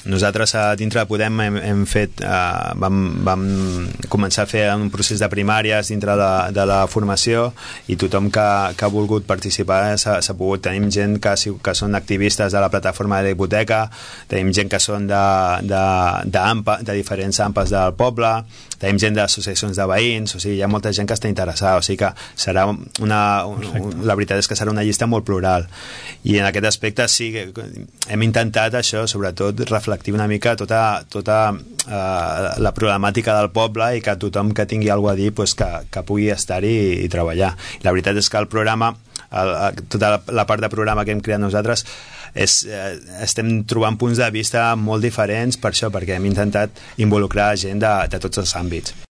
Nosaltres dintre de Podem hem fet, vam començar a fer un procés de primàries dintre de la formació, i tothom que ha volgut participar s'ha pogut. Tenim gent que són activistes de la plataforma de la hipoteca, tenim gent que són de diferents AMPAs del poble, tenim gent d'associacions de veïns, o sigui, hi ha molta gent que està interessada, o sigui que serà la veritat és que serà una llista molt plural, i en aquest aspecte sí que hem intentat això, sobretot reflectir una mica tota la problemàtica del poble, i que tothom que tingui alguna a dir pues, que pugui estar-hi i treballar. La veritat és que el programa, tota la part de programa que hem creat nosaltres, estem trobant punts de vista molt diferents per això, perquè hem intentat involucrar gent de tots els àmbits.